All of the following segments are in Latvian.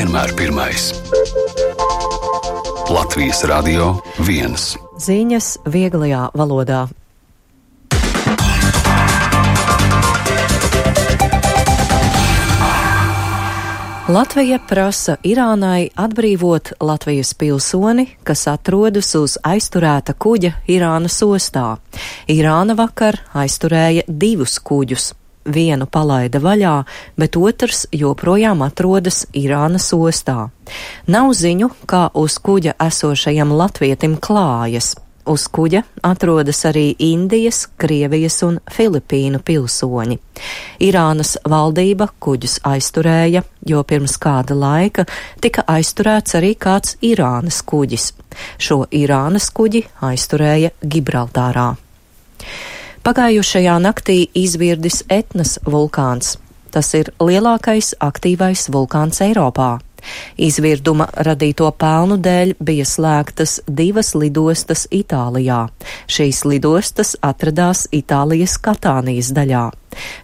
vienmēr pirmais. Latvijas Radio 1. Ziņas vieglajā valodā. Latvija prasa Irānai atbrīvot Latvijas pilsoni, kas atrodas uz aizturēta kuģa Irānas ostā. Irāna vakar aizturēja 2 kuģus. Vienu palaida vaļā, bet otrs joprojām atrodas Irānas ostā. Nav ziņu, kā uz kuģa esošajam latvietim klājas. Uz kuģa atrodas arī Indijas, Krievijas un Filipīnu pilsoņi. Irānas valdība kuģus aizturēja, jo pirms kāda laika tika aizturēts arī kāds Irānas kuģis. Šo Irānas kuģi aizturēja Gibraltārā. Pagājušajā naktī izvirdis Etnas vulkāns. Tas ir lielākais aktīvais vulkāns Eiropā. Izvirduma radīto pelnu dēļ bija slēgtas 2 lidostas Itālijā. Šīs lidostas atradās Itālijas Katānijas daļā.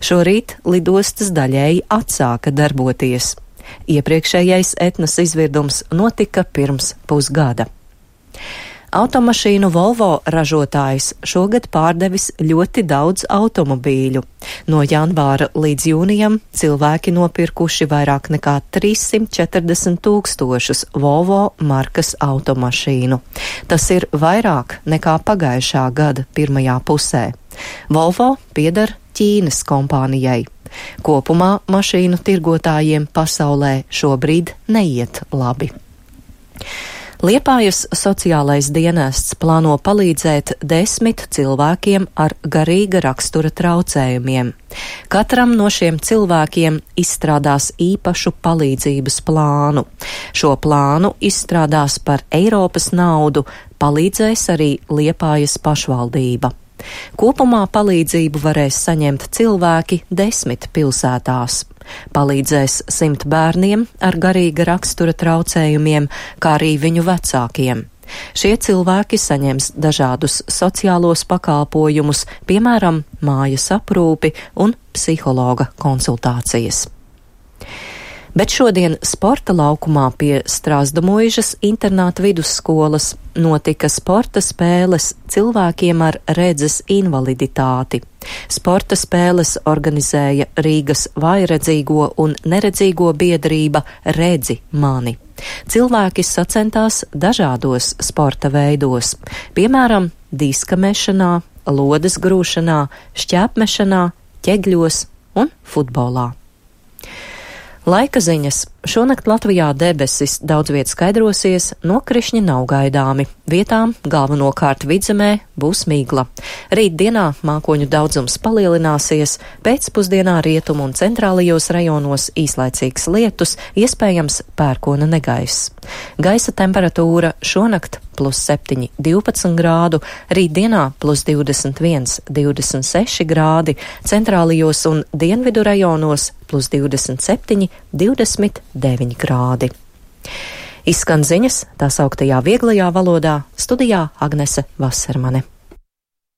Šorīt lidostas daļēji atsāka darboties. Iepriekšējais Etnas izvirdums notika pirms pusgada. Automašīnu Volvo ražotājs šogad pārdevis ļoti daudz automobīļu. No janvāra līdz jūnijam cilvēki nopirkuši vairāk nekā 340 000 Volvo markas automašīnu. Tas ir vairāk nekā pagājušā gada pirmajā pusē. Volvo pieder Ķīnas kompānijai. Kopumā mašīnu tirgotājiem pasaulē šobrīd neiet labi. Liepājas sociālais dienests plāno palīdzēt 10 cilvēkiem ar garīga rakstura traucējumiem. Katram no šiem cilvēkiem izstrādās īpašu palīdzības plānu. Šo plānu izstrādās par Eiropas naudu, palīdzēs arī Liepājas pašvaldība. Kopumā palīdzību varēs saņemt cilvēki 10 pilsētās. Palīdzēs 100 bērniem ar garīga rakstura traucējumiem, kā arī viņu vecākiem. Šie cilvēki saņems dažādus sociālos pakalpojumus, piemēram, mājas aprūpi un psihologa konsultācijas. Bet šodien sporta laukumā pie Strasdamuižas internāta vidusskolas notika sporta spēles cilvēkiem ar redzes invaliditāti. Sporta spēles organizēja Rīgas vājredzīgo un neredzīgo biedrība Redzi mani. Cilvēki sacentās dažādos sporta veidos, piemēram, diska mešanā, lodes grūšanā, šķēpmešanā, ķegļos un futbolā. Laika ziņas. Šonakt Latvijā debesis daudz viet skaidrosies, nokrišņi nav gaidāmi. Vietām galvenokārt vidzemē būs migla. Rīt dienā mākoņu daudzums palielināsies, pēcpusdienā rietumu un centrālajos rajonos īslaicīgs lietus, iespējams pērkona negaiss. Gaisa temperatūra šonakt +7, 12 grādu, rītdienā +21, 26 grādi, centrālajos un dienvidu rajonos +27, 29 grādi. Izskan ziņas tā sauktajā vieglajā valodā, studijā Agnese Vasermane.